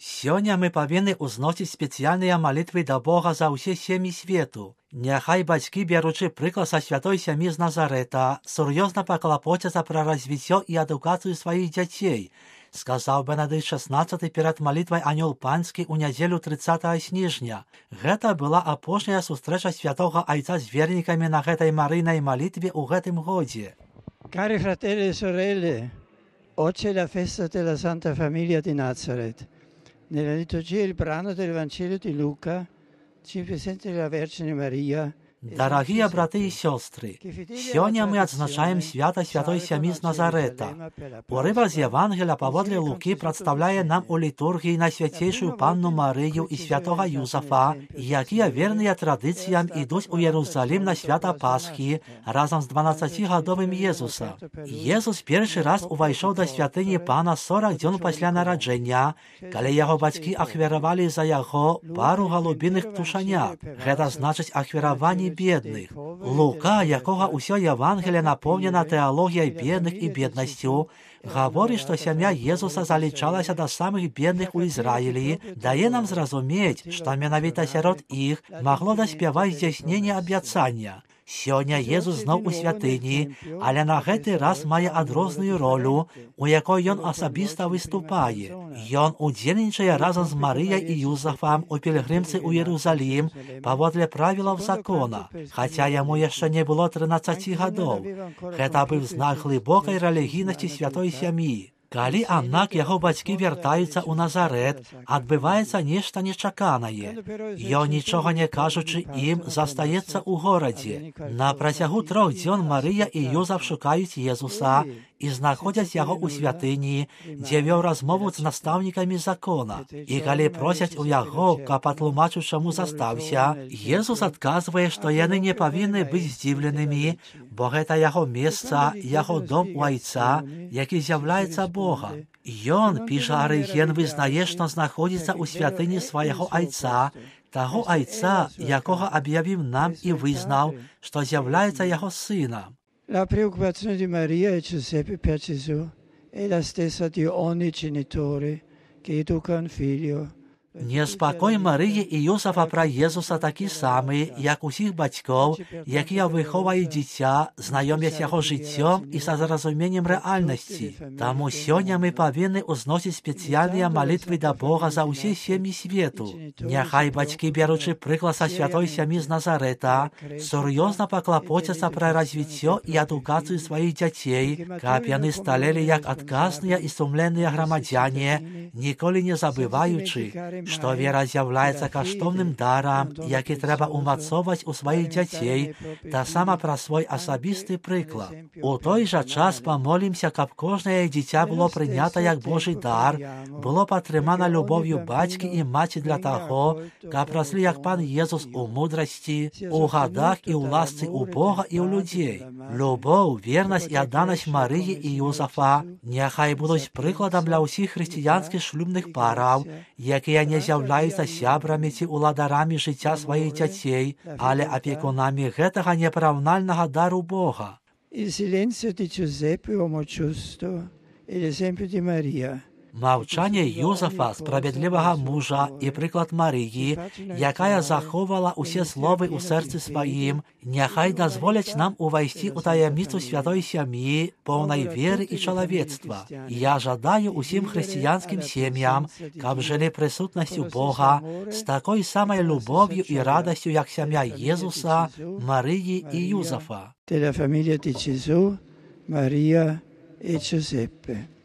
Сёння мы павінны ўзносіць спецыяльныя малітвы да Бога за ўсе сем'і свету. Няхай бацькі, бяручы прыклад са святой сям'і з Назарэта, сур'ёзна паклапоцяцца пра развіццё і адукацыю сваіх дзяцей, сказаў Бенедыкт XVI перад малітвай Анёл Панскі ў нядзелю 30 снежня. Гэта была апошняя сустрэча святога айца з вернікамі на гэтай марыйнай малітве ў гэтым годзе. Cari fratelli e sorelle, oggi è la festa della Santa Famiglia di Nazareth. Nella liturgia il brano del Vangelo di Luca ci presenta la Vergine Maria. Дарагія браты і сёстры, сёння мы адзначаем свята святой сям'і з Назарэта. Урывак з Евангелія паводле Лукі прадстаўляе нам у літургіі Найсвяцейшую Панну Марыю і святога Юзафа, якія верныя традыцыям ідуць у Єрусалім на свята Пасхі разам з 12-гадовым Езуса. Езус першы раз увайшоў да святыні Пана 40 дзён пасля нараджэння, калі яго бацькі ахвяравалі за яго пару галубіных птушанят. Гэта значыць ахвяраванне бедных. Лука, якога ўсё Евангелие напоўнена тэалогіяй бедных і беднасцю, гаворыць, што сям'я Езуса залічалася да самых бедных у Ізраілі, дае нам зразумець, што менавіта сярод іх магло даспяваць здзяйсненне абяцання. Сёння Езус зноў у святыні, але на гэты раз мае адрозную ролю, у якой ён асабіста выступае. Ён удзельнічае разам з Марыяй і Юзафам у пілігрымцы ў Єрусалім паводле правілаў закона, хаця яму яшчэ не было 13 гадоў. Гэта быў знак глыбокай рэлігійнасці святой сям'і. Калі, аднак, яго бацькі вяртаюцца ў Назарэт, адбываецца нешта нечаканае. Ён, нічога не кажучы ім, застаецца ў горадзе. На працягу 3 дзён Марыя і Юзаф шукаюць Езуса і знаходзяць яго ў святыні, дзе вёў размову з настаўнікамі закона. І калі просяць у яго, каб патлумачыў, чаму застаўся, Езус адказвае, што яны не павінны быць здзіўленымі, бо гэта яго месца, яго дом у айца, які з'яўляецца Бога. Ён, піша Арыген, вызнае, што знаходзіцца ў святыні свайго айца, таго айца, якога аб'явіў нам і вызнаў, што з'яўляецца яго сынам. La preoccupazione di Maria e Giuseppe per Gesù è la stessa di ogni genitore che educa un figlio. Неспакой Марыі і Юзафа пра Езуса такі самы, як усіх бацькоў, якія выхоўваюць дзіця, знаёмяць яго жыццём і са зразуменнем рэальнасці. Таму сёння мы павінны ўзносіць спецыяльныя малітвы да Бога за ўсе сем'і свету. Няхай бацькі, бяручы прыклад са святой сям'і з Назарэта, сур'ёзна паклапоцяцца пра развіццё і адукацыю сваіх дзяцей, каб яны сталелі як адказныя і сумленныя грамадзяне, ніколі не забываючы, што вера з'яўляецца каштоўным дарам, які трэба умацоўваць у сваіх дзяцей, таксама пра свой асабісты прыклад. У той жа час памолімся, каб кожнае дзіця было прынята як Божы дар, было падтрымана любоўю бацькі і маці для таго, каб раслі як Пан Езус у мудрасці, у гадах і ў ласцы ў Бога і ў людзей. Любоў, вернасць і адданасць Марыі і Юзафа няхай будуць прыкладам для ўсіх хрысціянскіх шлюбных параў, якія не з'яўляюцца сябрамі ці уладарамі жыцця сваіх дзяцей, але апекунамі гэтага непараўнальнага дару Бога. Il silenzio di Giuseppe, uomo giusto, e l'esempio di Maria. Маўчанне Юзафа, справядлівага мужа, і прыклад Марыі, якая захоўвала ўсе словы ў сэрцы сваім, няхай дазволяць нам увайсці ў таямніцу святой сям'і, поўнай веры і чалавецтва. Я жадаю усім хрысціянскім сем'ям, каб жылі прысутнасцю Бога з такой самай любов'ю і радасцю, як сям'я Езуса, Марыі і Юзафа. Della famiglia di Gesù, Maria e Giuseppe.